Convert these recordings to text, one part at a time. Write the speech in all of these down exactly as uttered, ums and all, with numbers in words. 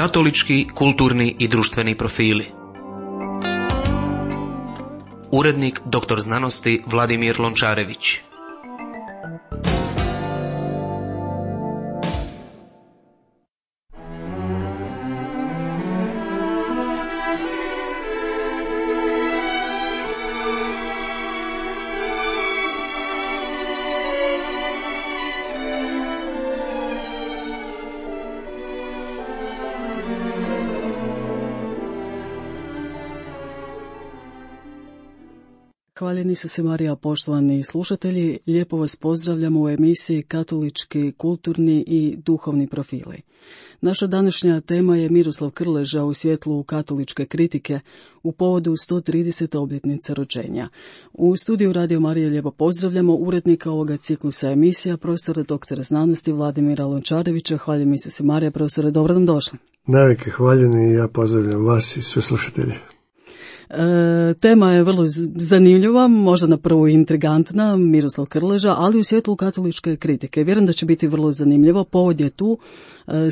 Katolički, kulturni i društveni profili. Urednik doktor znanosti Vladimir Lončarević. Hvaljeni su se Marija, poštovani slušatelji, lijepo vas pozdravljamo u emisiji Katolički, kulturni i duhovni profili. Naša današnja tema je Miroslav Krleža u svjetlu katoličke kritike u povodu sto tridesete obljetnice rođenja. U studiju Radio Marije lijepo pozdravljamo urednika ovoga ciklusa emisija, profesora doktora znanosti Vladimira Lončarevića. Hvaljeni su se Marija, profesore, dobro nam došli. Navike hvaljeni i ja pozdravljam vas i sve slušatelje. E, tema je vrlo zanimljiva, možda na prvu intrigantna, Miroslav Krleža, ali u svjetlu katoličke kritike. Vjerujem da će biti vrlo zanimljivo. Povod je tu,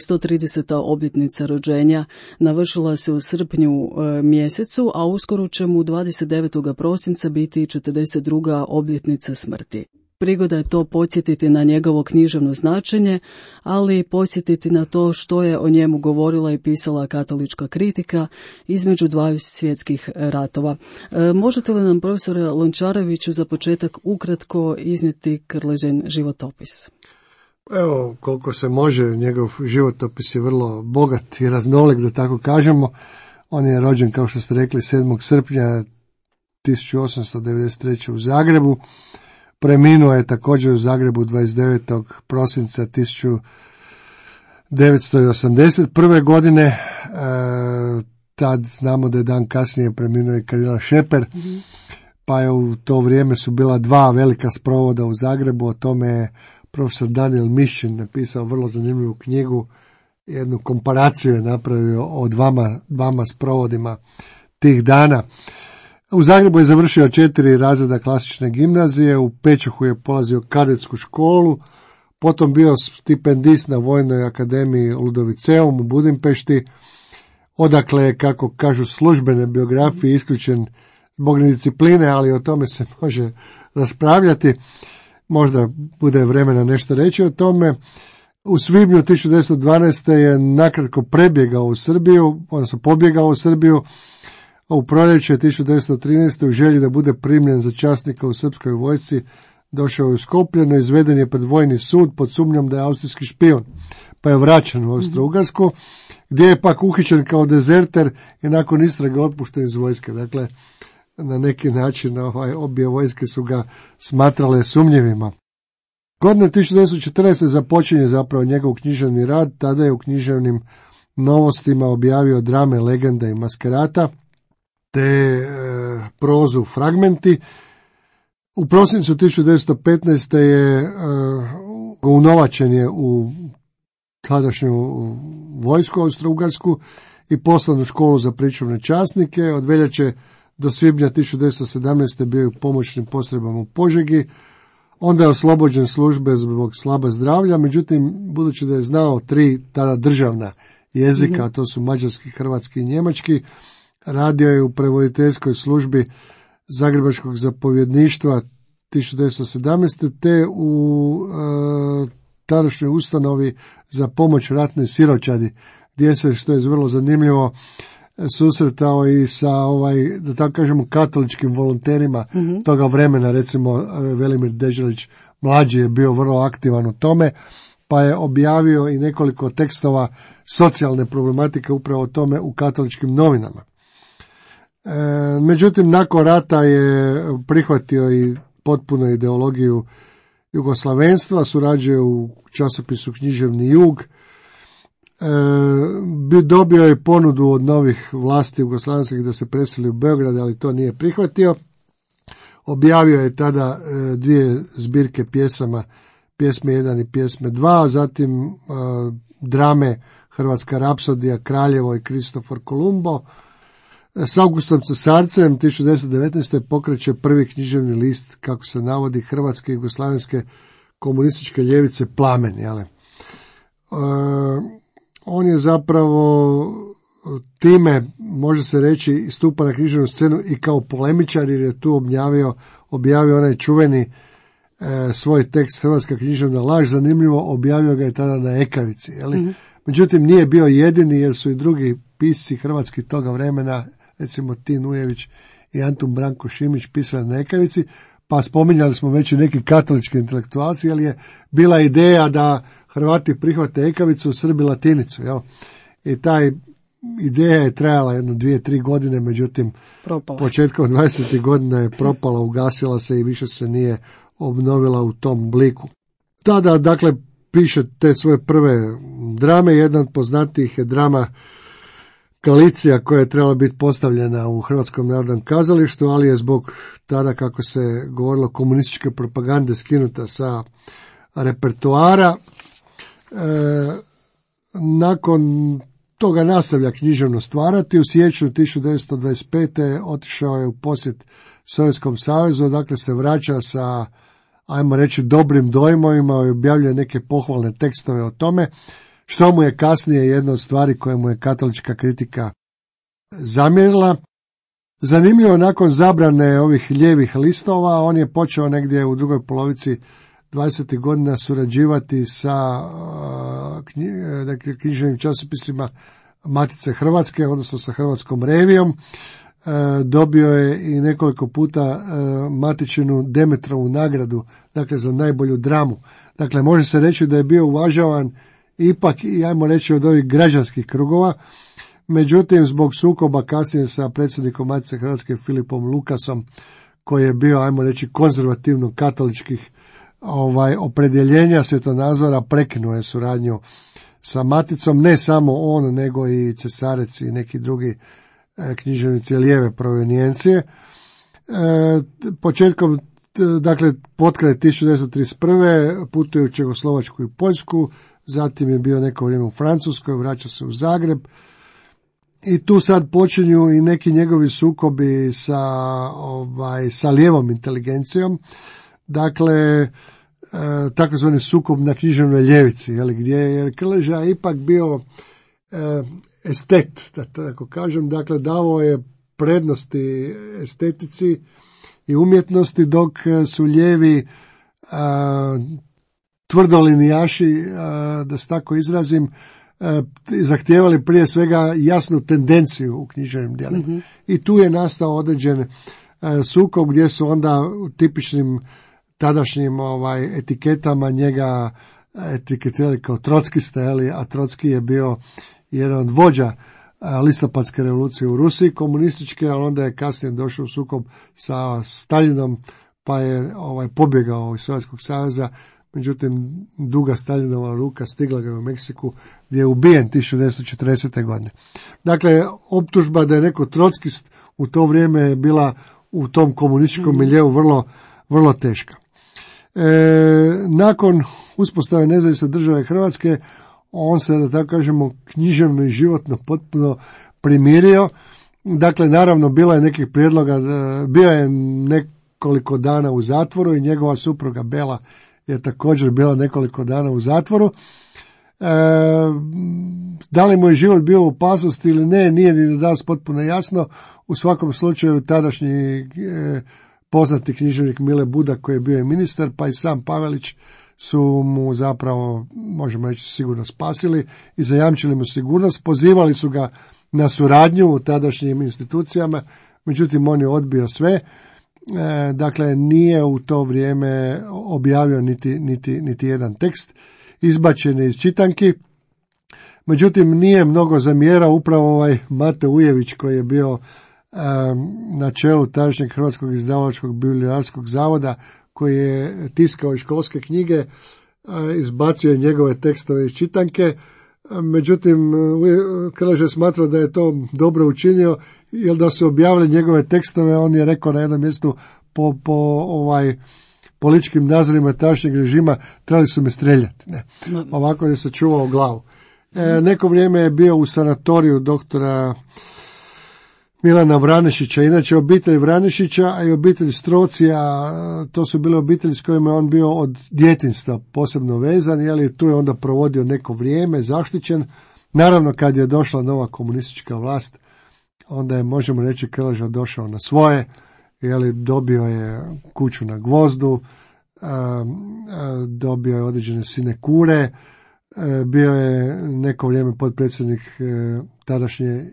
sto trideseta obljetnica rođenja navršila se u srpnju e, mjesecu, a uskoro će mu dvadeset devetog prosinca biti četrdeset druga obljetnica smrti. Prigoda je to podsjetiti na njegovo književno značenje, ali podsjetiti na to što je o njemu govorila i pisala katolička kritika između dvaju svjetskih ratova. E, možete li nam, profesore Lončareviću, za početak ukratko iznijeti Krležin životopis? Evo, koliko se može, njegov životopis je vrlo bogat i raznolik, da tako kažemo. On je rođen, kao što ste rekli, sedmog srpnja tisuću osamsto devedeset treće u Zagrebu. Preminuo je također u Zagrebu dvadeset devetog prosinca tisuću devetsto osamdeset prve godine. E, tad znamo da je dan kasnije preminuo i kardinal Šeper, mm-hmm. pa je u to vrijeme su bila dva velika sprovoda u Zagrebu. O tome je profesor Daniel Mišćin napisao vrlo zanimljivu knjigu, jednu komparaciju je napravio o dvama, dvama sprovodima tih dana. U Zagrebu je završio četiri razreda klasične gimnazije, u Pečuhu je polazio kadetsku školu, potom bio stipendist na Vojnoj akademiji Ludoviceum u Budimpešti, odakle je, kako kažu službene biografije, isključen zbog nediscipline, ali o tome se može raspravljati, možda bude vremena nešto reći o tome. U svibnju tisuću devetsto dvanaeste je nakratko prebjegao u Srbiju, odnosno pobjegao u Srbiju, a u proljeće tisuću devetsto trinaeste u želji da bude primljen za časnika u srpskoj vojsci došao je u Skoplje, no izveden je pred vojni sud pod sumnjom da je austrijski špijun, pa je vraćen u Austro-Ugarsku, gdje je pak uhićen kao dezerter i nakon istrage otpušten iz vojske. Dakle, na neki način ovaj, obje vojske su ga smatrale sumnjivima. Godine tisuću devetsto četrnaeste započinje zapravo njegov književni rad, tada je u književnim novostima objavio drame Legenda i Maskerata, te e, prozu Fragmenti. U prosincu tisuću devetsto petnaeste je e, unovačen je u tadašnju vojsku Austro-Ugarsku i poslan u školu za pričuvne časnike. Od veljače do svibnja tisuću devetsto sedamnaeste bio je u pomoćnim postrojbama u Požegi. Onda je oslobođen službe zbog slaba zdravlja, međutim, budući da je znao tri tada državna jezika, a to su mađarski, hrvatski i njemački, radio je u prevoditeljskoj službi Zagrebačkog zapovjedništva tisuću devetsto sedamnaeste te u e, tadašnjoj ustanovi za pomoć ratnoj siročadi, gdje se, što je vrlo zanimljivo, susretao i sa, ovaj, da tako kažemo, katoličkim volonterima mm-hmm. toga vremena. Recimo, Velimir Deželić mlađi je bio vrlo aktivan u tome, pa je objavio i nekoliko tekstova socijalne problematike upravo o tome u katoličkim novinama. E, međutim, nakon rata je prihvatio i potpuno ideologiju jugoslavenstva, surađuje u časopisu Književni jug, e, dobio je ponudu od novih vlasti jugoslavenskih da se preseli u Beograd, ali to nije prihvatio. Objavio je tada e, dvije zbirke pjesama, pjesme jedan i pjesme dva, zatim e, drame Hrvatska rapsodija, Kraljevo i Kristofor Kolumbo. S Augustom Cesarcem tisuću devetsto devetnaeste pokreće prvi književni list, kako se navodi, hrvatske i jugoslavenske komunističke ljevice Plamen. Jele. E, on je zapravo time, može se reći, stupa na književnu scenu i kao polemičar, jer je tu objavio, objavio onaj čuveni e, svoj tekst Hrvatska književna laž. Zanimljivo, objavio ga je tada na Ekavici. Je li? Mm-hmm. Međutim, nije bio jedini, jer su i drugi pisci hrvatski toga vremena, recimo Tin Ujević i Antun Branko Šimić, pisali na Ekavici, pa spominjali smo već i neki katolički intelektualci, ali je bila ideja da Hrvati prihvate Ekavicu, Srbi latinicu. Jel? I taj ideja je trajala jedno dvije, tri godine, međutim propala. Početkom dvadesetih godina je propala, ugasila se i više se nije obnovila u tom obliku. Tada, dakle, piše te svoje prve drame. Jedan od poznatijih je drama Galicija, koja je trebala biti postavljena u Hrvatskom narodnom kazalištu, ali je zbog tada, kako se govorilo, komunističke propagande skinuta sa repertoara. E, nakon toga nastavlja književno stvarati. U siječnju tisuću devetsto dvadeset pete otišao je u posjet Sovjetskom savezu, dakle se vraća sa, ajmo reći, dobrim dojmovima i objavljuje neke pohvalne tekstove o tome, što mu je kasnije jedna od stvari koje mu je katolička kritika zamjerila. Zanimljivo, nakon zabrane ovih lijevih listova, on je počeo negdje u drugoj polovici dvadesetih godina surađivati sa dakle, književnim časopisima Matice Hrvatske, odnosno sa Hrvatskom revijom. Dobio je i nekoliko puta Matičinu Demetrovu nagradu, dakle za najbolju dramu. Dakle, može se reći da je bio uvažavan ipak, i ajmo reći, od ovih građanskih krugova. Međutim, zbog sukoba kasnije sa predsjednikom Matice Hrvatske Filipom Lukasom, koji je bio, ajmo reći, konzervativno katoličkih ovaj opredjeljenja, svjetonazora, prekinuo je suradnju sa Maticom, ne samo on, nego i Cesarec i neki drugi e, književnici lijeve provenijencije. E, početkom, dakle, potkraj tisuću devetsto trideset prve putuje u Čehoslovačku i Poljsku, zatim je bio neko vrijeme u Francuskoj, vraća se u Zagreb i tu sad počinju i neki njegovi sukobi sa, ovaj, sa lijevom inteligencijom. Dakle, e, takozvani sukob na književnoj ljevici, jel, gdje je Krleža ipak bio e, estet, da tako kažem, dakle davao je prednosti estetici i umjetnosti, dok su lijevi a, tvrdolinijaši, a, da se tako izrazim, a, zahtijevali prije svega jasnu tendenciju u književnim djelima. Mm-hmm. I tu je nastao određen a, sukob gdje su onda u tipičnim tadašnjim ovaj, etiketama njega etiketirali kao trockista, a Trocki je bio jedan od vođa listopadske revolucije u Rusiji, komunističke, ali onda je kasnije došao u sukob sa Staljinom, pa je ovaj, pobjegao iz Sovjetskog saveza. Međutim, duga Staljinova ruka stigla ga u Meksiku, gdje je ubijen tisuću devetsto četrdesete godine. Dakle, optužba da je neko trockist u to vrijeme je bila u tom komunističkom miljeu vrlo, vrlo teška. E, nakon uspostave nezavisne države Hrvatske, on se, da tako kažemo, književno i životno potpuno primirio. Dakle, naravno, bilo je nekih prijedloga, bio je nekoliko dana u zatvoru i njegova supruga Bela je također bila nekoliko dana u zatvoru. E, da li mu je život bio u opasnosti ili ne, nije ni danas potpuno jasno. U svakom slučaju, tadašnji e, poznati književnik Mile Budak, koji je bio i ministar, pa i sam Pavelić, su mu zapravo, možemo reći, sigurno spasili i zajamčili mu sigurnost. Pozivali su ga na suradnju u tadašnjim institucijama, međutim on je odbio sve. E, dakle, nije u to vrijeme objavio niti, niti, niti jedan tekst, izbačen je iz čitanki. Međutim, nije mnogo zamjerao upravo ovaj Mate Ujević, koji je bio e, na čelu tadašnjeg Hrvatskog izdavačkog bibliografskog zavoda, koji je tiskao i školske knjige, izbacio je njegove tekstove iz čitanke. Međutim, Krleža je smatrao da je to dobro učinio, jer da su objavili njegove tekstove, on je rekao na jednom mjestu, po, po ovaj političkim nazorima tadašnjeg režima trebali su me streljati. Ne. Ovako je se čuvao glavu. E, neko vrijeme je bio u sanatoriju doktora Milana Vranešića. Inače, obitelj Vranešića, a i obitelj Strocija, to su bile obitelji s kojima je on bio od djetinjstva posebno vezan, jeli, tu je onda provodio neko vrijeme, zaštićen, Naravno, kad je došla nova komunistička vlast, onda je, možemo reći, Krleža došao na svoje, jeli, dobio je kuću na Gvozdu, dobio je određene sinekure, bio je neko vrijeme potpredsjednik tadašnje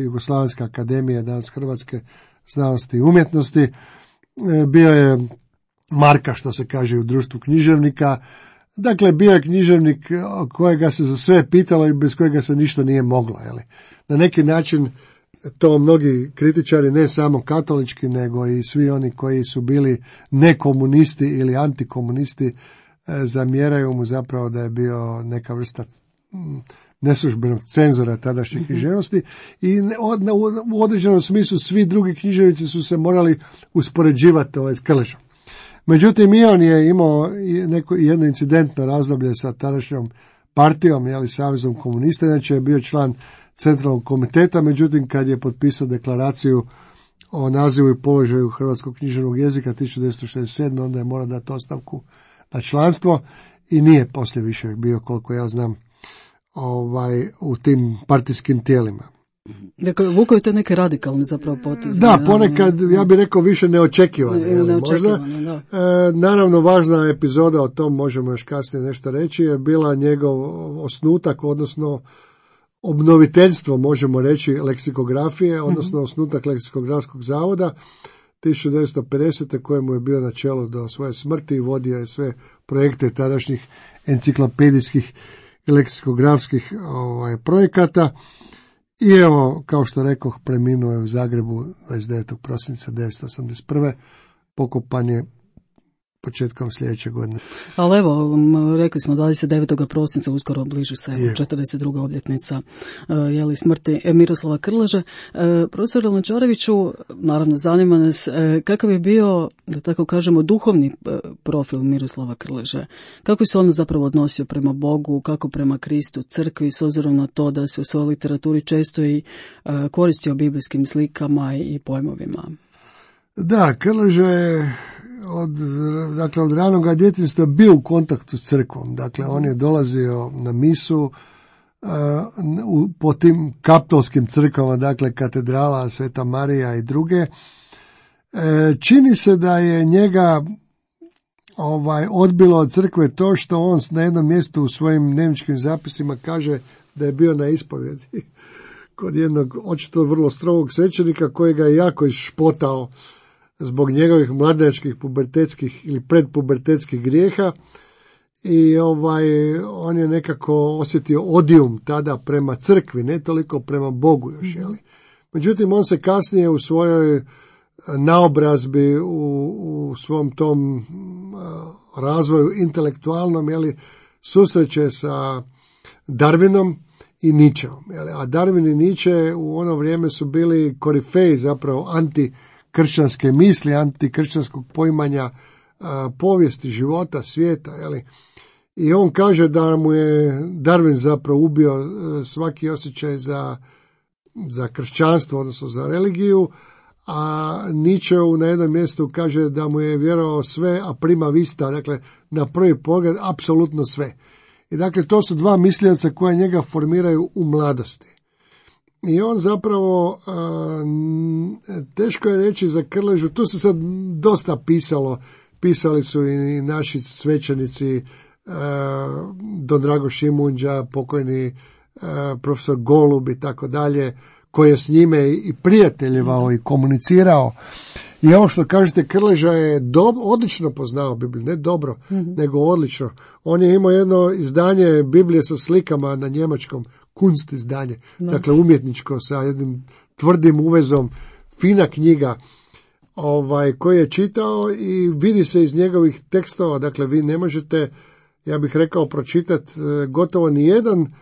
Jugoslavenske akademije, danas Hrvatske znanosti i umjetnosti, bio je Marka, što se kaže, u društvu književnika. Dakle, bio je književnik kojega se za sve pitalo i bez kojega se ništa nije moglo. Jeli. Na neki način to mnogi kritičari, ne samo katolički, nego i svi oni koji su bili nekomunisti ili antikomunisti, zamjeraju mu zapravo da je bio neka vrsta neslužbenog cenzora tadašnje književnosti i u određenom smislu svi drugi književnici su se morali uspoređivati ovaj s Krležom. Međutim, i on je imao neko, jedno incidentno razdoblje sa tadašnjom partijom, jeli, Savezom komunista, inače je bio član centralnog komiteta, međutim kad je potpisao deklaraciju o nazivu i položaju hrvatskog književnog jezika tisuću devetsto šezdeset sedme. onda je morao dati ostavku na članstvo i nije poslije više bio, koliko ja znam, ovaj, u tim partijskim tijelima. Dakle, vukao je te neke radikalne zapravo poteze. Da, ponekad, ja bih rekao, više neočekivane. Ne, neočekivane, da. E, naravno, važna epizoda, o tom možemo još kasnije nešto reći, je bila njegov osnutak, odnosno obnoviteljstvo, možemo reći, leksikografije, odnosno mm-hmm. osnutak leksikografskog zavoda tisuću devetsto pedesete. kojemu je bio na čelu do svoje smrti i vodio je sve projekte tadašnjih enciklopedijskih i leksikografskih ovaj, projekata. I evo, kao što rekoh, preminuo je u Zagrebu dvadeset devetog prosinca devetsto osamdeset prve. Pokopan je početkom sljedeće godine. Ali evo, rekli smo dvadeset devetog prosinca, uskoro bliži se evo, četrdeset druga obljetnica jeli, smrti Miroslava Krleže. Profesor Lončareviću, naravno zanima nas kakav je bio, da tako kažemo, duhovni profil Miroslava Krleže. Kako se on zapravo odnosio prema Bogu, kako prema Kristu, crkvi, s obzirom na to da se u svojoj literaturi često i koristio biblijskim slikama i pojmovima? Da, Krleža je od, dakle, od ranoga djetinjstva bio u kontaktu s crkvom. Dakle, on je dolazio na misu uh, u, po tim kaptolskim crkvama, dakle, katedrala, Sveta Marija i druge. E, čini se da je njega ovaj, odbilo od crkve to što on na jednom mjestu u svojim dnevničkim zapisima kaže da je bio na ispovjedi kod jednog očito vrlo strogog svećenika koji ga je jako išpotao zbog njegovih mladenačkih pubertetskih ili predpubertetskih grijeha i ovaj on je nekako osjetio odijum tada prema crkvi, ne toliko prema Bogu još, jeli. Međutim, on se kasnije u svojoj naobrazbi, u, u svom tom uh, razvoju intelektualnom, jeli, susreće sa Darwinom i Nietzscheom, jeli. A Darwin i Nietzsche u ono vrijeme su bili korifeji zapravo anti kršćanske misli, antikršćanskog poimanja a, povijesti, života, svijeta. Jeli? I on kaže da mu je Darwin zapravo ubio a, svaki osjećaj za, za kršćanstvo, odnosno za religiju, a Nietzsche na jednom mjestu kaže da mu je vjerovao sve, a prima vista, dakle na prvi pogled apsolutno sve. I dakle to su dva mislioca koja njega formiraju u mladosti. I on zapravo, a, teško je reći za Krležu, tu se sad dosta pisalo, pisali su i naši svećenici, a, Don Drago Šimunđa, pokojni a, profesor Golub i tako dalje, koji je s njime i prijateljevao i komunicirao. I ovo što kažete, Krleža je do, odlično poznao Bibliju, ne dobro, mm-hmm. nego odlično. On je imao jedno izdanje Biblije sa slikama na njemačkom, Kunst izdanje, no. Dakle umjetničko sa jednim tvrdim uvezom, fina knjiga ovaj, koji je čitao i vidi se iz njegovih tekstova, dakle vi ne možete, ja bih rekao, pročitati gotovo ni jedan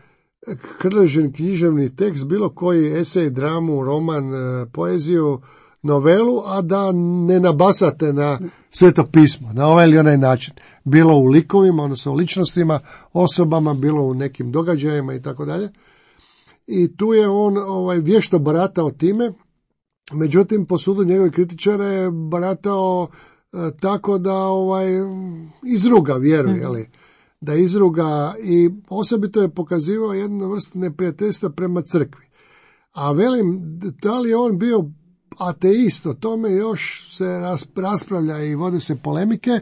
Krležin književni tekst, bilo koji esej, dramu, roman, poeziju, novelu, a da ne nabasate na Sveto pismo, na ovaj ili onaj način. Bilo u likovima, odnosno ličnostima, osobama, bilo u nekim događajima i tako dalje. I tu je on ovaj, vješto baratao time, međutim, po sudu njegovih kritičara je baratao e, tako da ovaj, izruga vjeru, jeli. da izruga i osobito je pokazivao jednu vrstu neprijateljstva prema crkvi. A velim, da li je on bio ateist, o tome još se raspravlja i vode se polemike.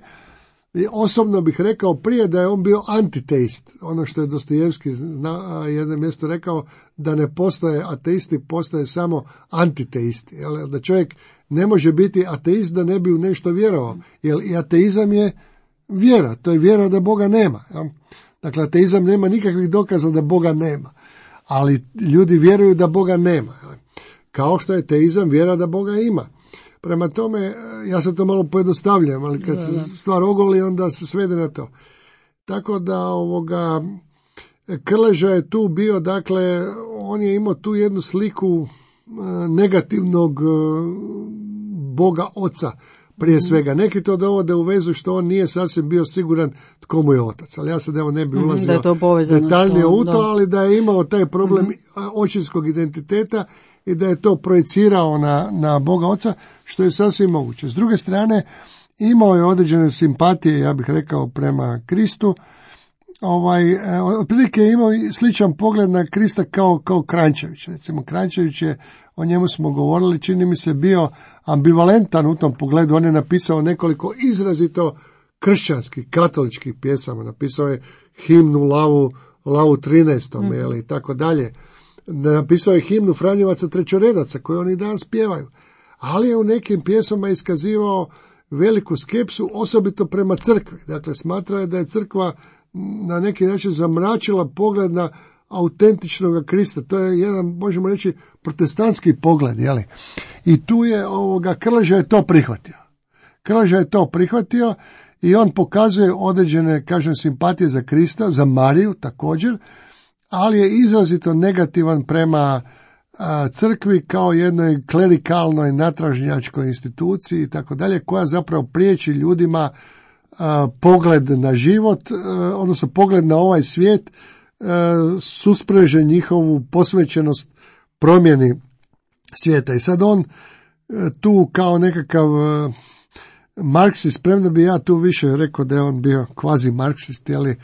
I osobno bih rekao prije da je on bio antiteist, ono što je Dostojevski na jednom mjestu rekao, da ne postoje ateisti, postoje samo antiteisti. Jel? Da čovjek ne može biti ateist da ne bi u nešto vjerovao, jer i ateizam je vjera, to je vjera da Boga nema. Jel? Dakle, ateizam nema nikakvih dokaza da Boga nema, ali ljudi vjeruju da Boga nema. Jel? Kao što je teizam vjera da Boga ima. Prema tome, ja se to malo pojednostavljam, ali kad se stvar ogoli, onda se svede na to. Tako da ovoga Krleža je tu bio, dakle, on je imao tu jednu sliku negativnog Boga Oca, prije svega. Neki to dovode u vezu što on nije sasvim bio siguran tko mu je otac, ali ja sad evo ne bi ulazio detaljnije u to, ali da je imao taj problem mm-hmm. očinskog identiteta i da je to projicirao na, na Boga Oca, što je sasvim moguće. S druge strane, imao je određene simpatije, ja bih rekao, prema Kristu. Ovaj, otprilike je imao sličan pogled na Krista kao, kao Kranjčević. Recimo, Kranjčević je, o njemu smo govorili, čini mi se bio ambivalentan u tom pogledu. On je napisao nekoliko izrazito kršćanskih, katoličkih pjesama. Napisao je himnu Lavu, Lavu trinaestom, mm. jel, i tako dalje. Napisao je himnu Franjevaca trećoredaca, koju oni danas pjevaju. Ali je u nekim pjesmama iskazivao veliku skepsu, osobito prema crkvi. Dakle, smatrao je da je crkva na neki način zamračila pogled na autentičnog Krista. To je jedan, možemo reći, protestantski pogled, jeli? I tu je ovoga, Krleža je to prihvatio. Krleža je to prihvatio i on pokazuje određene, kažem, simpatije za Krista, za Mariju također, ali je izrazito negativan prema a, crkvi kao jednoj klerikalnoj natražnjačkoj instituciji i tako dalje, koja zapravo priječi ljudima a, pogled na život, a, odnosno pogled na ovaj svijet, a, suspreže njihovu posvećenost promjeni svijeta. I sad on a, tu kao nekakav a, marksist, premda bi ja tu više rekao da je on bio kvazi marksist, ali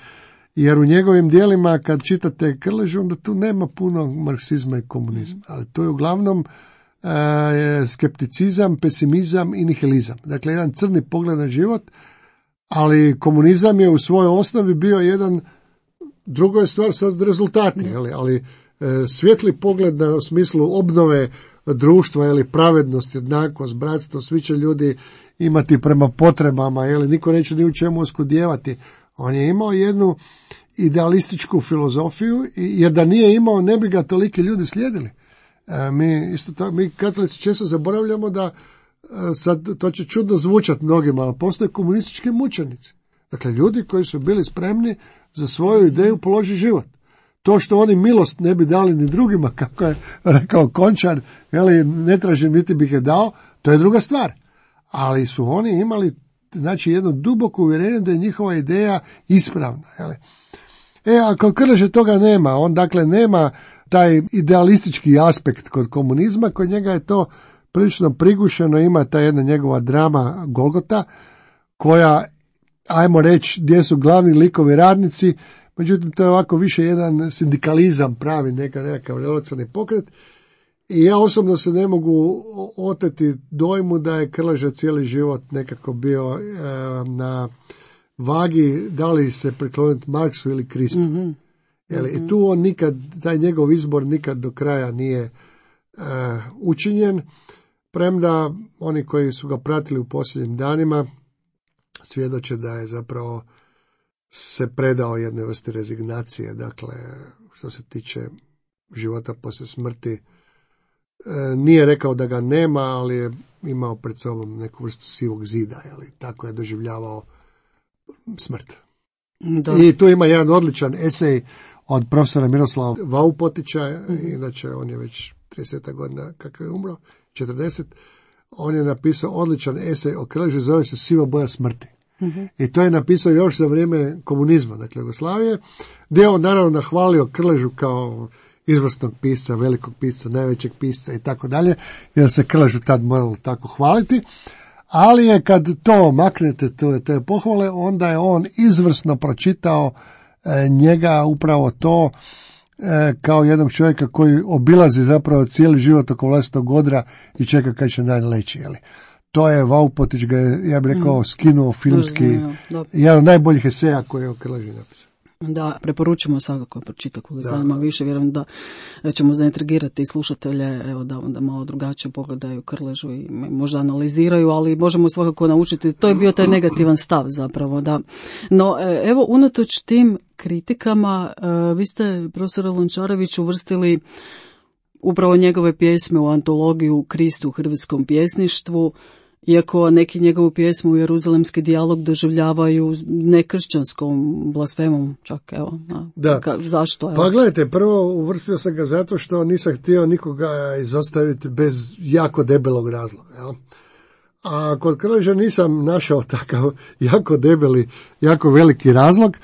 jer u njegovim dijelima kad čitate Krležu, onda tu nema puno marksizma i komunizma, ali to je uglavnom e, skepticizam, pesimizam i nihilizam. Dakle, jedan crni pogled na život, ali komunizam je u svojoj osnovi bio jedan, drugo je stvar sad rezultati, ali, ali e, svjetli pogled na, u smislu obnove društva, ili pravednost, jednakost, bratstvo, svi će ljudi imati prema potrebama, ili niko neće ni u čemu oskudijevati. On je imao jednu idealističku filozofiju, jer da nije imao, ne bi ga toliki ljudi slijedili. E, mi, isto tako, mi katolici često zaboravljamo da, e, sad to će čudno zvučati mnogima, ali postoje komunistički mučenici. Dakle, ljudi koji su bili spremni za svoju ideju položiti život. To što oni milost ne bi dali ni drugima, kako je rekao Končar, jeli, ne tražim niti bih je dao, to je druga stvar. Ali su oni imali, znači, jedno duboko uvjerenje da je njihova ideja ispravna. Jeli. E, a kod Krleže toga nema, on dakle nema taj idealistički aspekt kod komunizma, kod njega je to prilično prigušeno, ima ta jedna njegova drama Golgota, koja, ajmo reći, gdje su glavni likovi radnici, međutim to je ovako više jedan sindikalizam pravi, neka, nekakav revolucionarni pokret. I ja osobno se ne mogu oteti dojmu da je Krleža cijeli život nekako bio e, na vagi da li se prikloniti Marksu ili Kristu. Mm-hmm. Jeli, mm-hmm. I tu on nikad, taj njegov izbor nikad do kraja nije e, učinjen, premda oni koji su ga pratili u posljednjim danima svjedoče da je zapravo se predao jednoj vrsti rezignacije, dakle, što se tiče života poslije smrti. Nije rekao da ga nema, ali je imao pred sobom neku vrstu sivog zida, jeli, tako je doživljavao smrt. Da. I tu ima jedan odličan esej od profesora Miroslava Vaupotića, mm-hmm. inače on je već trideset godina kako je umro, četrdeset, on je napisao odličan esej o Krleži, zove se Siva boja smrti. Mm-hmm. I to je napisao još za vrijeme komunizma, dakle Jugoslavije, gdje on naravno nahvalio Krležu kao izvrsnog pisca, velikog pisca, najvećeg pisca i tako dalje, jer se Krležu tad moralo tako hvaliti, ali je kad to maknete, to, te pohvale, onda je on izvrsno pročitao e, njega upravo to e, kao jednog čovjeka koji obilazi zapravo cijeli život oko vlastitog odra i čeka kad će dan leći, jeli. To je Vaupotić ga je, ja bih rekao, skinuo filmski, jedan od najboljih eseja koje je o Krleži napisao. Da, preporučujemo svakako pročita koga zanima više, vjerujem da ćemo zaintrigirati i slušatelje, evo da onda malo drugačije pogledaju Krležu i možda analiziraju, ali možemo svakako naučiti, to je bio taj negativan stav zapravo, da. No, evo, unatoč tim kritikama, vi ste, profesore Lončarević, uvrstili upravo njegove pjesme u antologiju Krist u hrvatskom pjesništvu, iako neki njegovu pjesmu u Jeruzalemski dijalog doživljavaju nekršćanskom blasfemom, čak evo. Da. Ka, zašto? Evo? Pa gledajte, prvo uvrstio sam ga zato što nisam htio nikoga izostaviti bez jako debelog razloga. Jel? A kod Krleže nisam našao takav jako debeli, jako veliki razlog.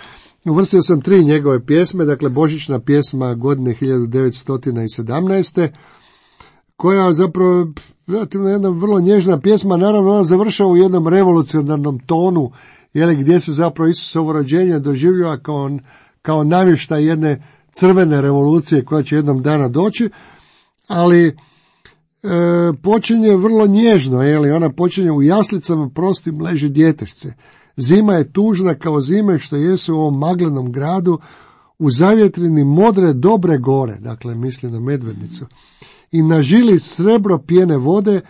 Uvrstio sam tri njegove pjesme, dakle božićna pjesma godine hiljadu devetsto sedamnaeste. koja zapravo relativno jedna vrlo nježna pjesma, naravno ona završava u jednom revolucionarnom tonu, jeli, gdje se zapravo Isusovo rođenje doživljava kao, kao navještaj jedne crvene revolucije koja će jednom dana doći, ali e, počinje vrlo nježno, jeli, ona počinje u jaslicama prostim leži djetešce. Zima je tužna kao zime što jesu u ovom maglenom gradu, u zavjetrini modre dobre gore, dakle misli na Medvednicu, i na žili srebro pjene vode,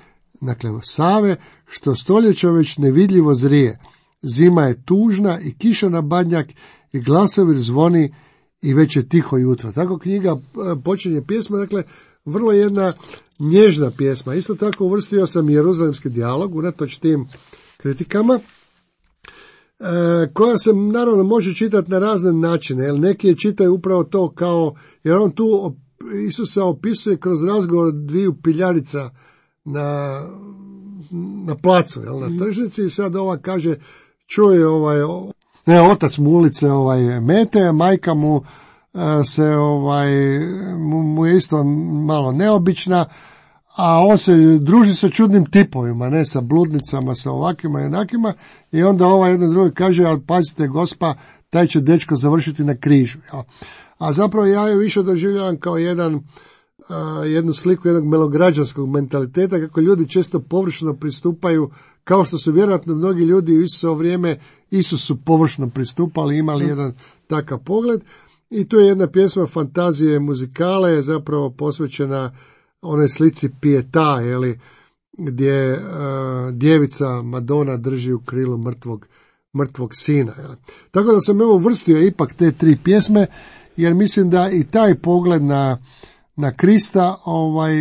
dakle Save, što stoljeća već nevidljivo zrije. Zima je tužna i kiša na badnjak i glasovir zvoni i već je tiho jutro. Tako knjiga počinje pjesma, dakle vrlo jedna nježna pjesma. Isto tako uvrstio sam Jeruzalemski dijalog, unatoč tim kritikama, koja se naravno može čitati na razne načine, jer neki je čitaju upravo to kao, jer on tu Isusa opisuje kroz razgovor dviju piljarica na, na placu, jel, na tržnici, i sad ova kaže, čuje ovaj, ne, otac mu ulice ovaj, mete, majka mu se ovaj, mu, mu je isto malo neobična, a on se druži sa čudnim tipovima, ne, sa bludnicama, sa ovakima i onakima, i onda ova jedna druga kaže, ali pazite gospa, taj će dečko završiti na križu. Ja. A zapravo ja je više doživljavam kao jedan, uh, jednu sliku jednog melograđanskog mentaliteta, kako ljudi često površno pristupaju, kao što su vjerojatno mnogi ljudi u Isusovo vrijeme Isusu površno pristupali, imali mm. jedan takav pogled. I tu je jedna pjesma fantazije muzikale, zapravo posvećena onoj slici Pieta, jeli, gdje uh, djevica Madonna drži u krilu mrtvog, mrtvog sina. Jeli. Tako da sam evo uvrstio ipak te tri pjesme, jer mislim da i taj pogled na, na Krista ovaj,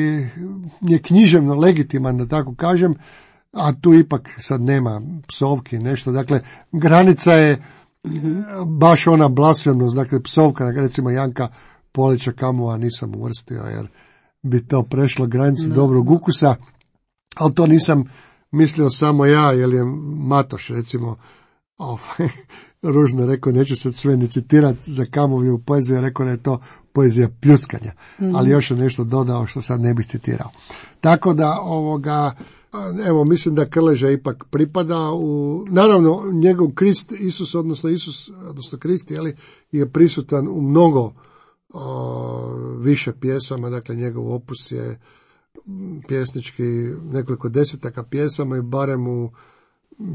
je književno legitiman, da tako kažem, a tu ipak sad nema psovki, nešto. Dakle, granica je baš ona blasfemnost, dakle psovka, recimo Janka Polića Kamova nisam uvrstio, jer bi to prešlo granicu no. dobrog ukusa, ali to nisam mislio samo ja, jer je Matoš, recimo, ovaj, ružno rekao, neću sad sve ni citirati za Kamovljevu poeziju, rekao da je to poezija pljuckanja, mm. ali još je nešto dodao što sad ne bih citirao. Tako da, ovoga, evo, mislim da Krleža ipak pripada u, naravno, njegov Krist, Isus, odnosno Isus, odnosno Krist, jeli, je prisutan u mnogo o, više pjesama, dakle njegov opus je pjesnički nekoliko desetaka pjesama i barem u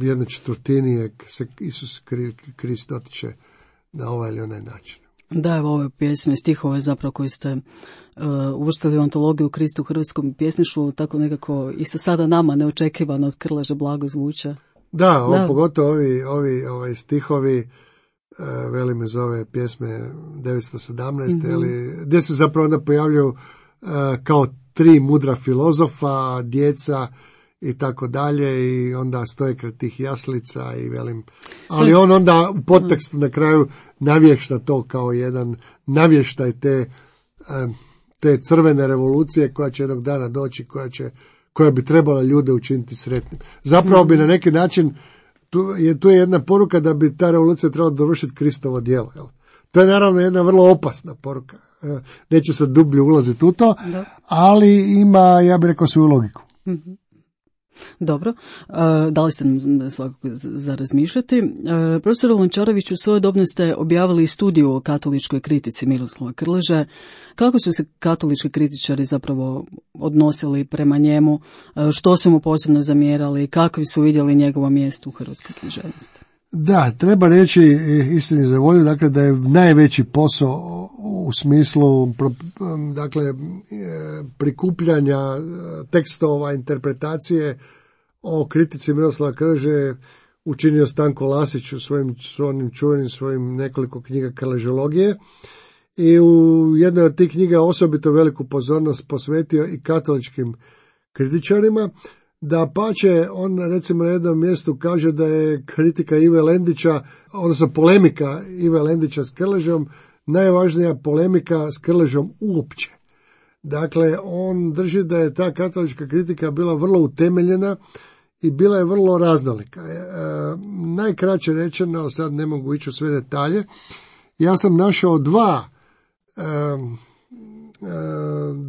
jednoj četvrtini je se Isus Krist dotiče na ovaj ili onaj način. Da, evo ove pjesme, stihove zapravo koji ste uh, uvrstili u antologiju Kristu u hrvatskom pjesništvu, tako nekako i sa sada nama neočekivano od Krleže blago zvuče. Da, ovo, da. Pogotovo ovi, ovi ovaj stihovi, uh, velim iz ove pjesme devetsto sedamnaeste, mm-hmm. ali, gdje se zapravo onda pojavljaju uh, kao tri mudra filozofa, djeca i tako dalje, i onda stoje kraj tih jaslica i velim, ali on onda u podtekstu na kraju navješta to kao jedan navještaj te, te crvene revolucije koja će jednog dana doći, koja će, koja bi trebala ljude učiniti sretnim. Zapravo bi na neki način, tu je, tu je jedna poruka da bi ta revolucija trebala dovršiti Kristovo djelo. Jel? To je naravno jedna vrlo opasna poruka. Neću sad dublje ulaziti u to, da. Ali ima, ja bih rekao, svoju logiku. Mm-hmm. Dobro, dali ste nam svakako za razmišljati. Profesor Lončarević, u svojedobno ste objavili studiju o katoličkoj kritici Miroslava Krleže. Kako su se katolički kritičari zapravo odnosili prema njemu, što su mu posebno zamjerali, kakvi su vidjeli njegovo mjesto u hrvatskoj književnosti? Da, treba reći istini za volju, dakle da je najveći posao u smislu dakle prikupljanja tekstova, interpretacije o kritici Miroslava Krleže učinio Stanko Lasić u svojim, svojim čuvenim svojim nekoliko knjiga Krležologije i u jednoj od tih knjiga osobito veliku pozornost posvetio i katoličkim kritičarima. Da pače, on recimo na jednom mjestu kaže da je kritika Ive Lendića, odnosno polemika Ive Lendića s Krležom, najvažnija polemika s Krležom uopće. Dakle, on drži da je ta katolička kritika bila vrlo utemeljena i bila je vrlo raznolika. E, najkraće rečeno, ali sad ne mogu ići u sve detalje, ja sam našao dva, e, e,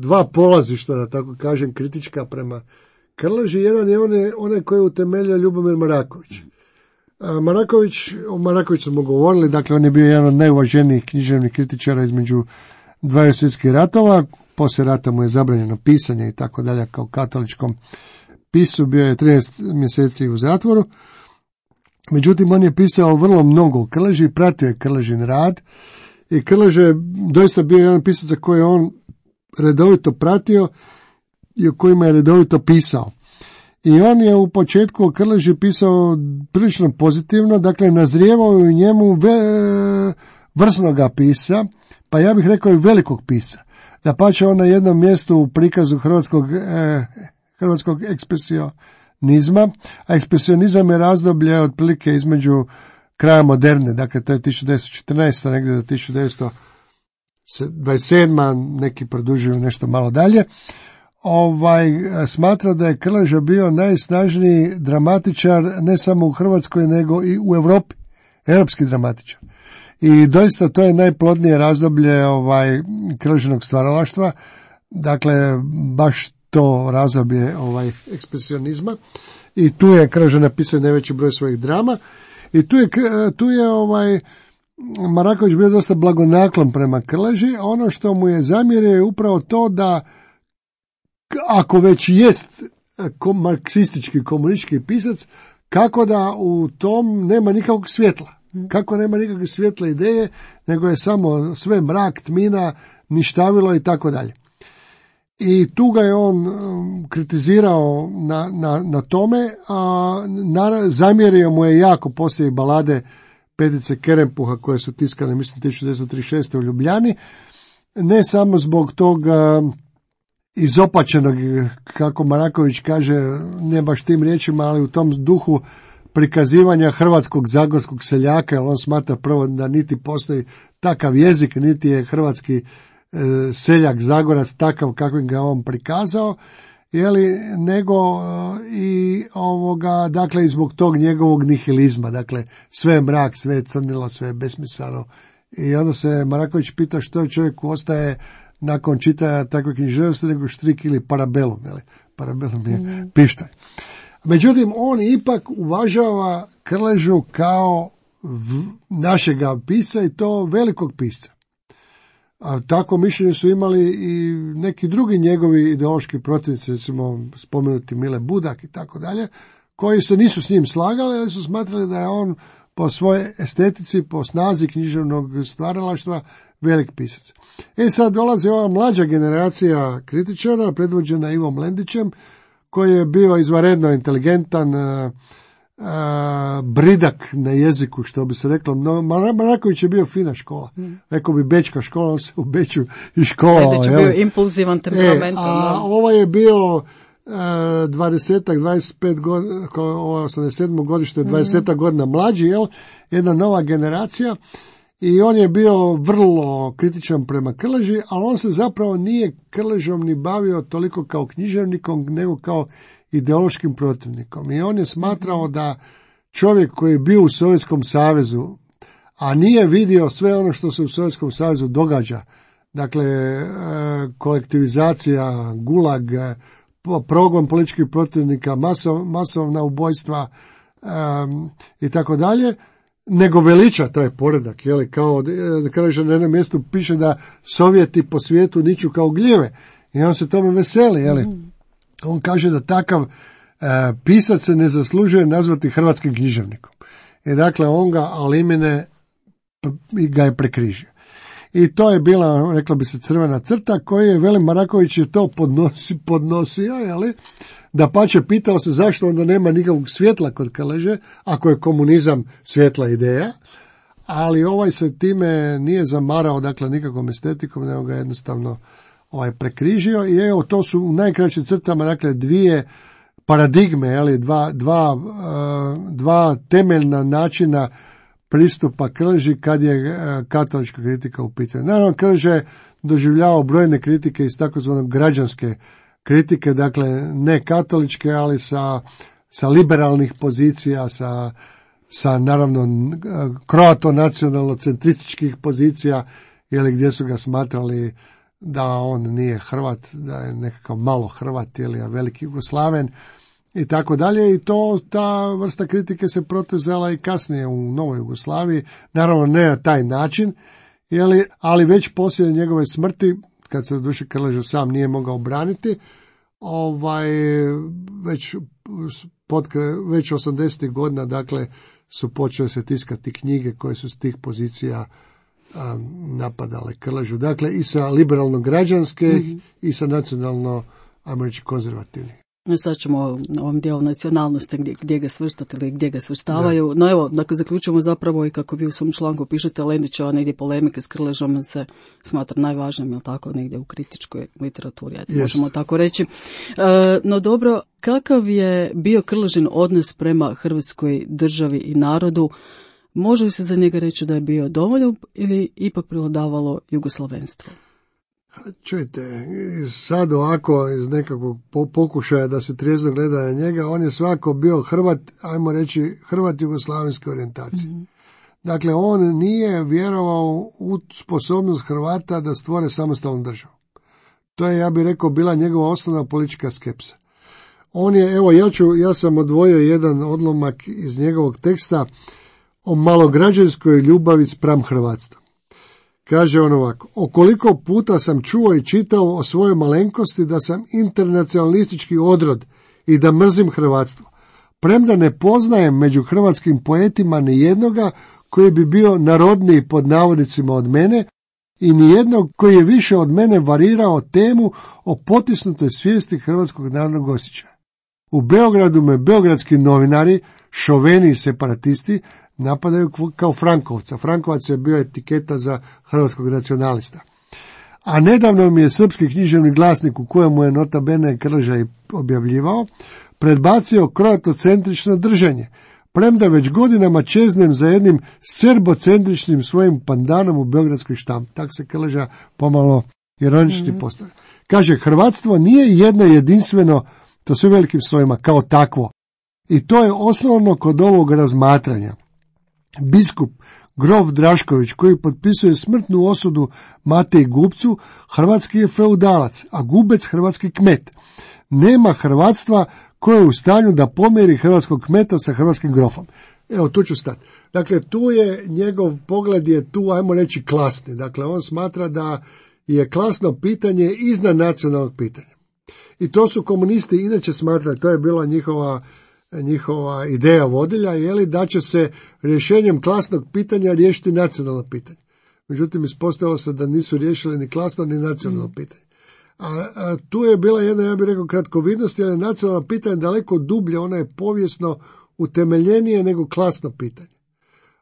dva polazišta, da tako kažem, kritička prema Krleži. Jedan je onaj, onaj koji je utemeljio Ljubomir Maraković. Maraković, o Marakoviću smo govorili, dakle on je bio jedan od najuvaženijih književnih kritičara između dvaju svjetskih ratova, poslije rata mu je zabranjeno pisanje i tako dalje kao katoličkom pisu, bio je trinaest mjeseci u zatvoru. Međutim, on je pisao vrlo mnogo o Krleži, pratio je Krležin rad i Krleže je doista bio jedan pisac za koji je on redovito pratio i o kojima je redovito pisao. I on je u početku o Krleži pisao prilično pozitivno, dakle nazrijevao je u njemu ve, vrsnoga pisa, pa ja bih rekao i velikog pisa. Da pače on na jednom mjestu u prikazu hrvatskog, eh, hrvatskog ekspresionizma, a ekspresionizam je razdoblje otprilike između kraja moderne, dakle to je tisuću devetsto četrnaesta negdje do tisuću devetsto dvadeset sedma, neki produžuju nešto malo dalje. Ovaj, smatra da je Krleža bio najsnažniji dramatičar ne samo u Hrvatskoj nego i u Europi, europski dramatičar. I doista to je najplodnije razdoblje ovaj Krležinog stvaralaštva, dakle baš to razdoblje ovaj ekspresionizma i tu je Krleža napisao najveći broj svojih drama i tu je, tu je ovaj Maraković bio dosta blagonaklon prema Krleži. Ono što mu je zamjerio je upravo to da ako već jest marksistički komunistički pisac, kako da u tom nema nikakvog svjetla. Kako nema nikakve svjetle ideje, nego je samo sve mrak, tmina, ništavilo i tako dalje. I tu ga je on kritizirao na, na, na tome, a na, zamjerio mu je jako poslije balade Petice Kerempuha koje su tiskane, mislim, tisuću devetsto trideset šeste u Ljubljani, ne samo zbog toga izopačenog, kako Maraković kaže, ne baš tim riječima, ali u tom duhu prikazivanja hrvatskog zagorskog seljaka, jer on smatra prvo da niti postoji takav jezik, niti je hrvatski e, seljak zagorac takav kakvim ga on prikazao, jeli, nego e, i ovoga, dakle, i zbog tog njegovog nihilizma, dakle, sve je mrak, sve je crnilo, sve je besmisleno. I onda se Maraković pita što čovjeku ostaje nakon čitanja takve književnosti nego štrik ili parabelum, jeli? Parabelum je mm. pištaj. Međutim, on ipak uvažava Krležu kao v, našega pisa i to velikog pisa. A tako mišljenje su imali i neki drugi njegovi ideološki protivnici, recimo spomenuti Mile Budak i tako dalje, koji se nisu s njim slagali, ali su smatrali da je on po svojoj estetici, po snazi književnog stvaralaštva velik pisac. E sad dolazi ova mlađa generacija kritičara, predvođena Ivom Lendićem, koji je bio izvanredno inteligentan, a, a, bridak na jeziku, što bi se reklo. No, Maraković je bio fina škola. Mm. Rekao bi bečka škola, on se u Beču i škola. Lendić je bio impulzivan, temperamentan. E, a ovo je bio dvadesetak, dvadeset pet godina, osamdeset sedmo godište, dvadeset mm. godina mlađi, jel? Jedna nova generacija. I on je bio vrlo kritičan prema Krleži, ali on se zapravo nije Krležom ni bavio toliko kao književnikom, nego kao ideološkim protivnikom. I on je smatrao da čovjek koji je bio u Sovjetskom savezu, a nije vidio sve ono što se u Sovjetskom savezu događa, dakle kolektivizacija, gulag, progon političkih protivnika, masov, masovna ubojstva um, i tako dalje, nego veliča taj poredak, jeli, kao da kaže na jednom mjestu piše da Sovjeti po svijetu niču kao gljive i on se tome veseli, jeli. Mm. On kaže da takav uh, pisac se ne zaslužuje nazvati hrvatskim književnikom. I dakle on ga alimine ga je prekrižio. I to je bila, rekla bi se, crvena crta koju je Velim Maraković je to podnosi, podnosio, jeli, da pače pitao se zašto onda nema nikakvog svjetla kod Krleže, ako je komunizam svjetla ideja, ali ovaj se time nije zamarao, dakle, nikakvom estetikom, nego ga jednostavno ovaj prekrižio i evo, to su u najkraćim crtama, dakle, dvije paradigme, jeli, dva, dva, dva temeljna načina pristupa Krleži kad je katolička kritika u pitanju. Naravno, Krleža je doživljavao brojne kritike iz takozvanog građanske kritike, dakle ne katoličke, ali sa, sa liberalnih pozicija, sa, sa naravno kroato-nacionalno-centrističkih pozicija, ili gdje su ga smatrali da on nije Hrvat, da je nekakav malo Hrvat ili veliki Jugoslaven i tako dalje. I to, ta vrsta kritike se protezala i kasnije u Novoj Jugoslaviji, naravno ne na taj način, jeli, ali već poslije njegove smrti, kad se doduše Krleža sam nije mogao braniti, ovaj, već, potkre, već osamdesetih godina, dakle, su počele se tiskati knjige koje su s tih pozicija um, napadale Krležu. Dakle, i sa liberalno-građanske mm-hmm. i sa nacionalno, ajmo reći, konzervativnih. Sad ćemo o ovom dijelu nacionalnosti gdje, gdje ga svrstati ili gdje ga svrstavaju. Da. No evo, dakle, zaključujemo zapravo i kako vi u svom članku pišete, Lendićeva negdje polemike s Krležom se smatra najvažnijim, jel tako, negdje u kritičkoj literaturi, yes. možemo tako reći. E, no dobro, kakav je bio Krležin odnos prema Hrvatskoj državi i narodu? Može li se za njega reći da je bio domoljub ili ipak prevladavalo jugoslavenstvo? Čujte, sad ovako iz nekakvog pokušaja da se trijezno gleda na njega, on je svako bio Hrvat, ajmo reći Hrvat jugoslavenske orijentacije. Mm-hmm. Dakle, on nije vjerovao u sposobnost Hrvata da stvore samostalnu državu. To je, ja bih rekao, bila njegova osnovna politička skepsa. On je, evo, ja ću, ja sam odvojio jedan odlomak iz njegovog teksta o malograđanskoj ljubavi spram hrvatstva. Kaže on ovako: o koliko puta sam čuo i čitao o svojoj malenkosti da sam internacionalistički odrod i da mrzim hrvatstvo, premda ne poznajem među hrvatskim poetima ni jednoga koji bi bio narodniji pod navodnicima od mene i ni jednog koji je više od mene varirao temu o potisnutoj svijesti hrvatskog narodnog osjećaja. U Beogradu me beogradski novinari, šoveni i separatisti, napadaju kao Frankovca. Frankovac je bio etiketa za hrvatskog nacionalista. A nedavno mi je srpski književni glasnik, u kojemu je nota bene Krleža i objavljivao, predbacio kroatocentrično držanje, premda već godinama čeznem za jednim serbocentričnim svojim pandanom u beogradskoj štampi. Tak se Krleža pomalo ironični mm-hmm. postavlja. Kaže, hrvatstvo nije jedno jedinstveno, to sve velikim svojima, kao takvo. I to je osnovno kod ovog razmatranja. Biskup grof Drašković, koji potpisuje smrtnu osudu Mateji Gubcu, hrvatski je feudalac, a Gubec hrvatski kmet. Nema hrvatstva koje je u stanju da pomjeri hrvatskog kmeta sa hrvatskim grofom. Evo, tu ću stati. Dakle, tu je njegov pogled je tu, ajmo reći, klasni. Dakle, on smatra da je klasno pitanje iznad nacionalnog pitanja. I to su komunisti inače smatrali, to je bila njihova njihova ideja vodilja, je li da će se rješenjem klasnog pitanja riješiti nacionalno pitanje. Međutim, ispostavilo se da nisu riješili ni klasno ni nacionalno mm. pitanje. A, a tu je bila jedna, ja bih rekao, kratkovidnost, jer je nacionalno pitanje daleko dublje, ono je povijesno utemeljenije nego klasno pitanje.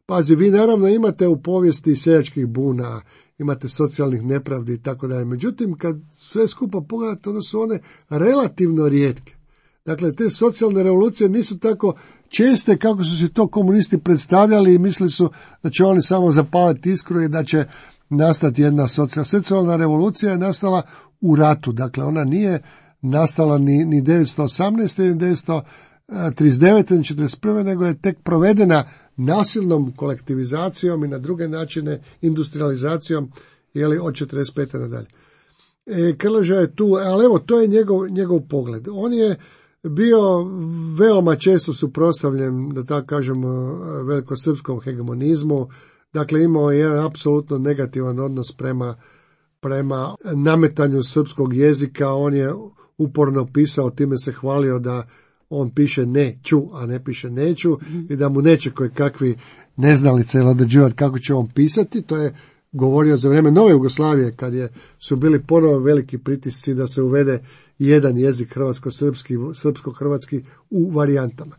Pazi, vi naravno imate u povijesti seljačkih buna, imate socijalnih nepravdi i tako dalje. Međutim, kad sve skupa pogledate, onda su one relativno rijetke. Dakle, te socijalne revolucije nisu tako česte kako su se to komunisti predstavljali i mislili su da će oni samo zapaliti iskru i da će nastati jedna socijalna. Socijalna revolucija je nastala u ratu, dakle ona nije nastala ni, ni devetsto osamnaeste ni devetsto trideset devete ni četrdeset prve nego je tek provedena nasilnom kolektivizacijom i na druge načine industrializacijom, jeli, od četrdeset pete nadalje. E, Krleža je tu, ali evo, to je njegov, njegov pogled. On je bio veoma često suprotstavljen, da tako kažemo, velikosrpskom hegemonizmu, dakle imao je jedan apsolutno negativan odnos prema, prema nametanju srpskog jezika. On je uporno pisao, time se hvalio da on piše neću, a ne piše neću, mm-hmm. i da mu neće koje kakvi neznalice određivati kako će on pisati. To je govorio za vrijeme nove Jugoslavije, kad je, su bili ponovo veliki pritisci da se uvede jedan jezik hrvatsko-srpski, srpsko-hrvatski u varijantama.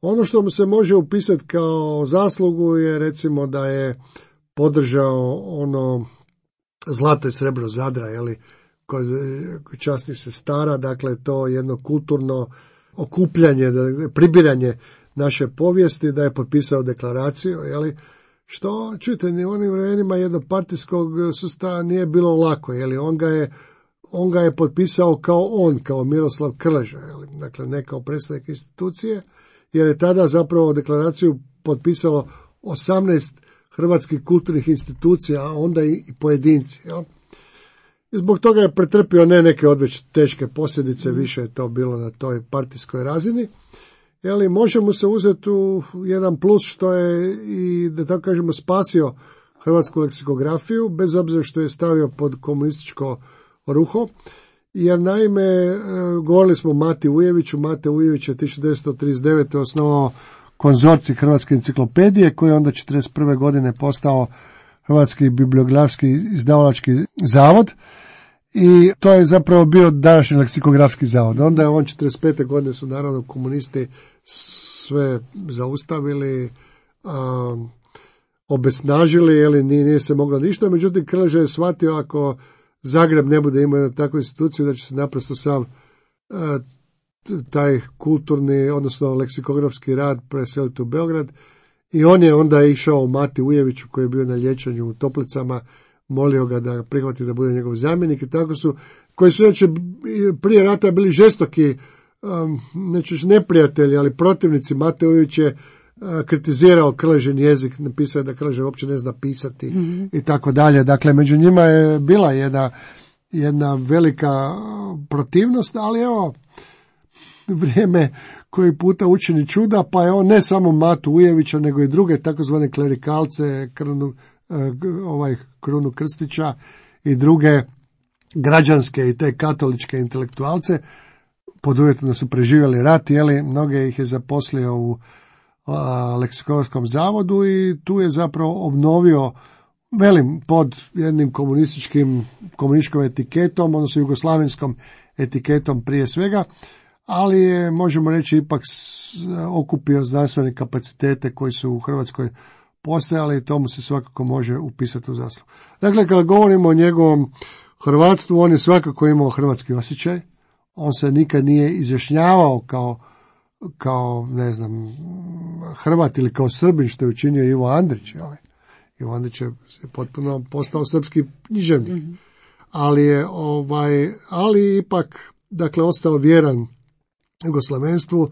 Ono što mu se može upisati kao zaslugu je recimo da je podržao ono zlato i srebro Zadra, jeli, kod časnih sestara, dakle to jedno kulturno okupljanje, pribiranje naše povijesti, da je potpisao deklaraciju, jeli, što, čujte, ni u onim vremenima jednopartijskog sustava nije bilo lako, jeli, on ga je on ga je potpisao kao on, kao Miroslav Krleža, jeli, dakle ne kao predstavnik institucije, jer je tada zapravo deklaraciju potpisalo osamnaest hrvatskih kulturnih institucija, a onda i pojedinci, jel? I zbog toga je pretrpio ne neke odveć teške posljedice, više je to bilo na toj partijskoj razini. Jeli, može mu se uzeti u jedan plus što je i, da tako kažemo, spasio hrvatsku leksikografiju, bez obzira što je stavio pod komunističko ruho, jer naime, govorili smo o Mati Ujeviću, Mate Ujević je tisuću devetsto trideset devete osnovao konzorcij Hrvatske enciklopedije, koji je onda četrdeset prve godine postao Hrvatski bibliografski izdavalački zavod, i to je zapravo bio današnji leksikografski zavod. Onda je on četrdeset pete godine su naravno komunisti sve zaustavili, a, obesnažili, jeli, nije, nije se moglo ništa, međutim Krleža je shvatio ako Zagreb ne bude imao jednu takvu instituciju, da će se naprosto sav a, taj kulturni, odnosno leksikografski rad preseliti u Beograd, i on je onda išao Mati Ujeviću, koji je bio na liječenju u Toplicama, molio ga da prihvati da bude njegov zamjenik, i tako su, koji su inače prije rata bili žestoki, um, neću neprijatelji, ali protivnici. Mate Ujević je uh, kritizirao Krležin jezik, napisao je da Krleža uopće ne zna pisati, mm-hmm. i tako dalje. Dakle, među njima je bila jedna, jedna velika protivnost, ali evo, vrijeme koji puta učini čuda, pa je on ne samo Matu Ujevića, nego i druge takozvane klerikalce, Krunu, ovaj Krunu Krstića i druge građanske i te katoličke intelektualce, pod uvjetom da su preživjeli rat, jeli, mnoge ih je zaposlio u a, leksikografskom zavodu, i tu je zapravo obnovio, velim, pod jednim komunističkim komunističkom etiketom, odnosno jugoslavenskom etiketom prije svega, ali je, možemo reći, ipak okupio znanstvene kapacitete koji su u Hrvatskoj postojali, i tomu se svakako može upisati u zaslugu. Dakle, kada govorimo o njegovom hrvatstvu, on je svakako imao hrvatski osjećaj, on se nikad nije izjašnjavao kao, kao ne znam, Hrvat ili kao Srbin, što je učinio Ivo Andrić. Jel? Ivo Andrić je potpuno postao srpski književnik, mm-hmm. ali je ovaj, ali ipak, dakle, ostao vjeran jugoslavenstvu,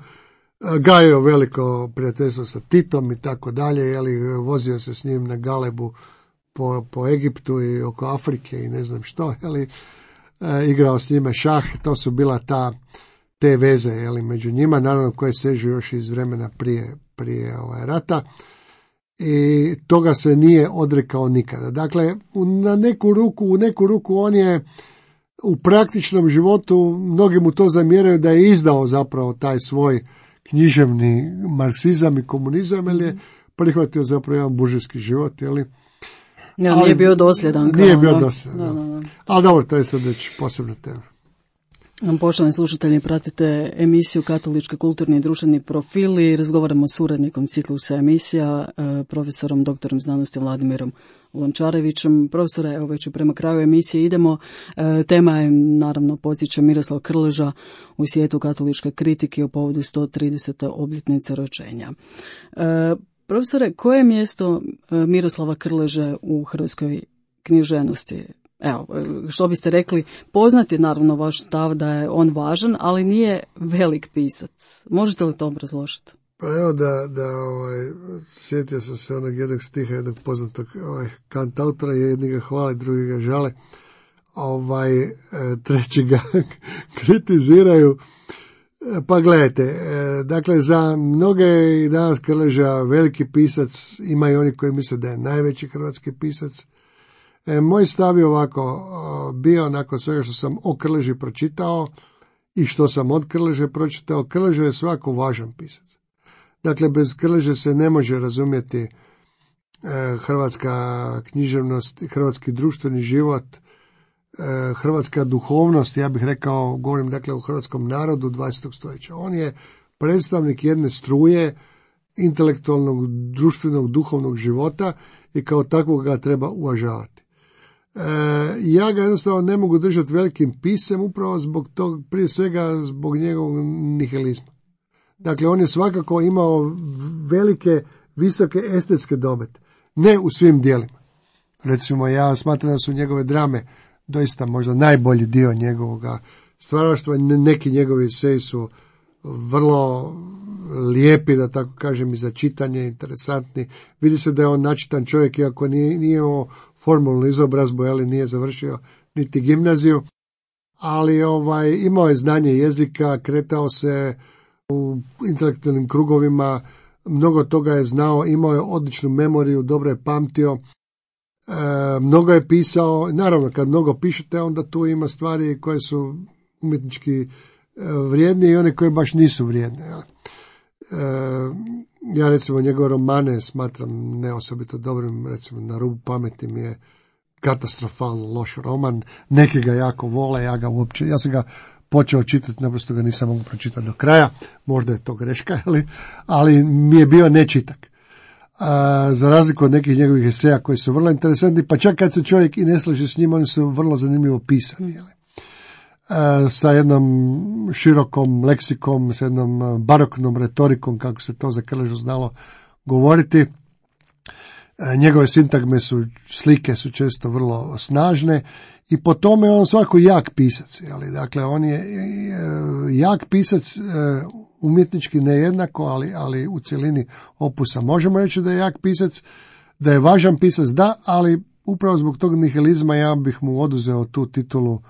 gajio veliko prijateljstvo sa Titom i tako dalje, jeli, vozio se s njim na galebu po, po Egiptu i oko Afrike i ne znam što, jeli, e, igrao s njima šah, to su bila ta, te veze, jeli, među njima, naravno koje sežu još iz vremena prije, prije ovaj, rata, i toga se nije odrekao nikada. Dakle, u, na neku ruku, u neku ruku on je u praktičnom životu, mnogi mu to zamjeraju da je izdao zapravo taj svoj književni marksizam i komunizam, jer je prihvatio zapravo jedan buržijski život, jeli? Ja, nije bio dosljedan. Nije kao, bio da, dosljedan, da, da, da. Ali dobro, to je sad već posebna tema. Poštovani slušatelji, pratite emisiju Katolički kulturni i društveni profili. Razgovaramo s urednikom ciklusa emisija, profesorom doktorom znanosti Vladimirom Lončarevićem. Profesore, evo već prema kraju emisije idemo. Tema je, naravno, podsjeća Miroslav Krleža u svijetu katoličke kritike u povodu sto tridesete obljetnice rođenja. Profesore, koje je mjesto Miroslava Krleže u hrvatskoj književnosti? Evo, što biste rekli, poznat je naravno vaš stav da je on važan, ali nije velik pisac. Možete li to obrazložiti? Pa evo da, da ovaj, sjetio sam se onog jednog stiha, jednog poznatog ovaj, kantautora, jedni ga hvale, drugi ga žale. ovaj, e, treći ga kritiziraju. Pa gledajte, e, dakle za mnoge i danas Krleža veliki pisac, ima i oni koji misle da je najveći hrvatski pisac. E, moj stav je ovako, o, bio nakon svega što sam o Krleži pročitao i što sam od Krleže pročitao, Krleža je svako važan pisac. Dakle, bez Krleže se ne može razumjeti e, hrvatska književnost, hrvatski društveni život, e, hrvatska duhovnost, ja bih rekao, govorim dakle o hrvatskom narodu dvadesetog stoljeća. On je predstavnik jedne struje intelektualnog, društvenog, duhovnog života i kao takvog ga treba uvažavati. E, ja ga jednostavno ne mogu držati velikim pisem upravo zbog tog, prije svega zbog njegovog nihilizma. Dakle, on je svakako imao velike, visoke estetske domete. Ne u svim dijelima. Recimo, ja smatram da su njegove drame doista možda najbolji dio njegovog stvaralaštva. Neki njegovi eseji su vrlo lijepi, da tako kažem, i za čitanje, interesantni. Vidi se da je on načitan čovjek, iako nije, nije imao formalnu izobrazbu, ali nije završio niti gimnaziju. Ali ovaj, imao je znanje jezika, kretao se u intelektualnim krugovima, mnogo toga je znao, imao je odličnu memoriju, dobro je pamtio, e, mnogo je pisao. Naravno, kad mnogo pišete, onda tu ima stvari koje su umjetnički e, vrijedne i one koje baš nisu vrijedne. E, ja recimo njegove romane smatram ne osobito dobrim, recimo Na rubu pameti mi je katastrofalno loš roman, neki ga jako vole, ja ga uopće, ja sam ga počeo čitati, naprosto ga nisam mogu pročitati do kraja, možda je to greška, ali, ali mi je bio nečitak. A, za razliku od nekih njegovih eseja koji su vrlo interesantni, pa čak kad se čovjek i ne slaže s njima, oni su vrlo zanimljivo pisani. Jeli? A, sa jednom širokom leksikom, sa jednom baroknom retorikom, kako se to za Krležu znalo govoriti. A, njegove sintagme su, slike su često vrlo snažne, i po tome on svako jak pisac. Jeli? Dakle, on je jak pisac, umjetnički nejednako, ali, ali u cjelini opusa. Možemo reći da je jak pisac, da je važan pisac, da, ali upravo zbog tog nihilizma ja bih mu oduzeo tu titulu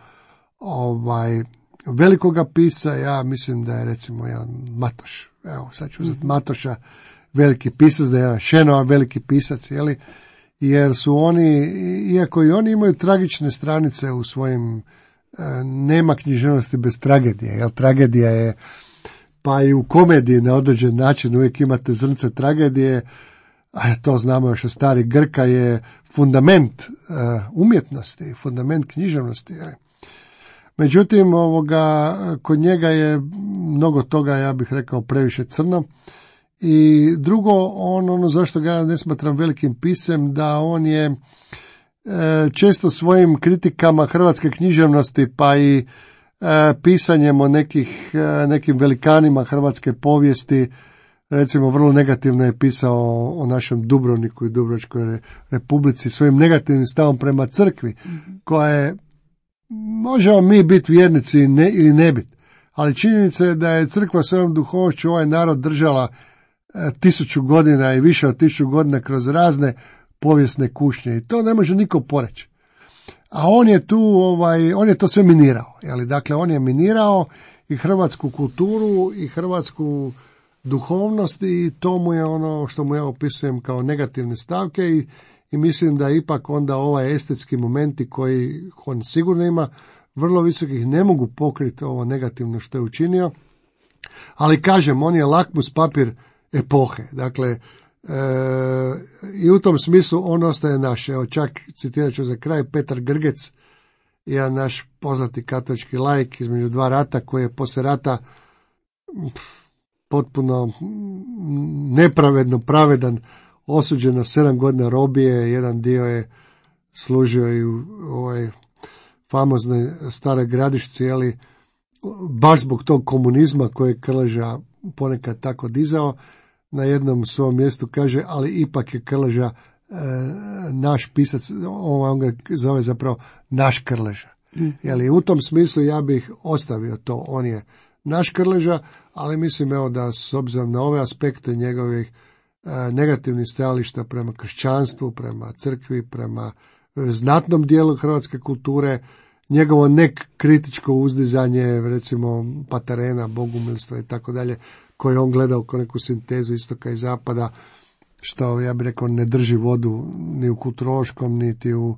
ovaj, velikoga pisa. Ja mislim da je recimo jedan Matoš, evo sad ću uzeti Matoša, veliki pisac, da je jedan Šenova veliki pisac, jeli? Jer su oni, iako i oni imaju tragične stranice u svojim, nema književnosti bez tragedije, jer tragedija je, pa i u komediji na određen način uvijek imate zrnce tragedije, a to znamo još od starih Grka, je fundament umjetnosti, fundament književnosti. Međutim, ovoga, kod njega je mnogo toga, ja bih rekao, previše crno. I drugo, on, ono zašto ga ne smatram velikim pisem, da on je e, često svojim kritikama hrvatske književnosti, pa i e, pisanjem o nekih, e, nekim velikanima hrvatske povijesti, recimo vrlo negativno je pisao o, o našem Dubrovniku i Dubrovačkoj republici, svojim negativnim stavom prema crkvi, koja je, možemo mi biti vjernici ne, ili ne biti, ali činjenica je da je crkva svojom duhovnošću ovaj narod držala tisuću godina i više od tisuću godina kroz razne povijesne kušnje i to ne može niko poreći. A on je tu, ovaj, on je to sve minirao. Jeli? Dakle, on je minirao i hrvatsku kulturu i hrvatsku duhovnost i to mu je ono što mu ja opisujem kao negativne stavke i, i mislim da ipak onda ovaj estetski momenti koji on sigurno ima vrlo visokih ne mogu pokriti ovo negativno što je učinio. Ali kažem, on je lakmus papir epohe. Dakle, e, i u tom smislu on ostaje naš. Evo čak citirat ću za kraj Petar Grgec, jedan naš poznati katolički laik između dva rata koji je poslije rata potpuno nepravedno pravedan osuđen na sedam godina robije. Jedan dio je služio i u ovoj famoznoj Staroj Gradišci, ali baš zbog tog komunizma koje je Krleža ponekad tako dizao, na jednom svom mjestu kaže, ali ipak je Krleža e, naš pisac, on ga zove zapravo naš Krleža. Mm. Jeli, u tom smislu ja bih ostavio to, on je naš Krleža, ali mislim evo da s obzirom na ove aspekte njegovih e, negativnih stajališta prema kršćanstvu, prema crkvi, prema znatnom dijelu hrvatske kulture, njegovo nekritičko uzdizanje, recimo Paterena, bogumilstva i tako dalje, koje on gledao kao neku sintezu istoka i zapada, što ja bih rekao ne drži vodu ni u kulturološkom, niti u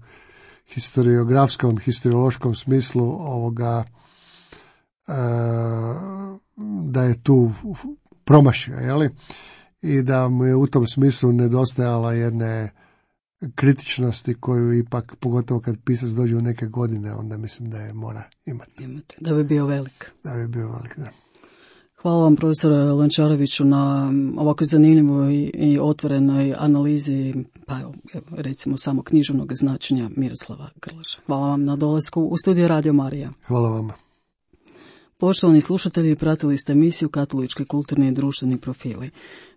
historiografskom, historiološkom smislu ovoga, e, da je tu promašio, jeli? I da mu je u tom smislu nedostajala jedne kritičnosti koju ipak, pogotovo kad pisac dođe u neke godine, onda mislim da je mora imati. Imati. Da bi bio velik. Da bi bio velik, da. Hvala vam, profesore Lončareviću, na ovako zanimljivoj i otvorenoj analizi, pa evo, recimo samo književnog značenja Miroslava Krleže. Hvala vam na dolasku u studio Radio Marija. Hvala vama. Poštovani slušatelji, pratili ste emisiju Katolički kulturni i društveni profili.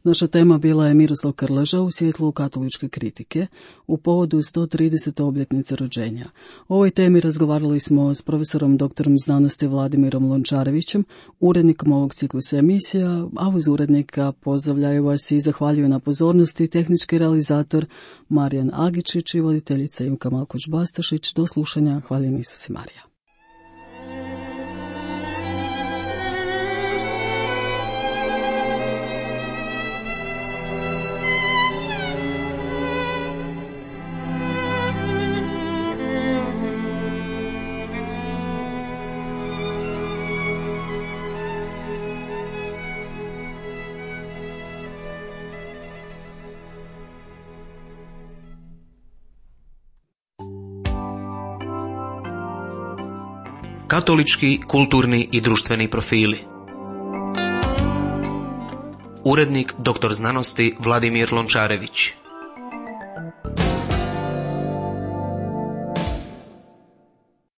Naša tema bila je Miroslav Krleža u svjetlu katoličke kritike u povodu sto tridesete obljetnice rođenja. O ovoj temi razgovarali smo s profesorom doktorom znanosti Vladimirom Lončarevićem, urednikom ovog ciklusa emisija, a uz urednika pozdravljaju vas i zahvaljuju na pozornosti tehnički realizator Marijan Agičić i voditeljica Imka Malkoć-Bastašić. Do slušanja, hvaljen Isus i Marija. Katolički, kulturni i društveni profili. Urednik doktor znanosti Vladimir Lončarević.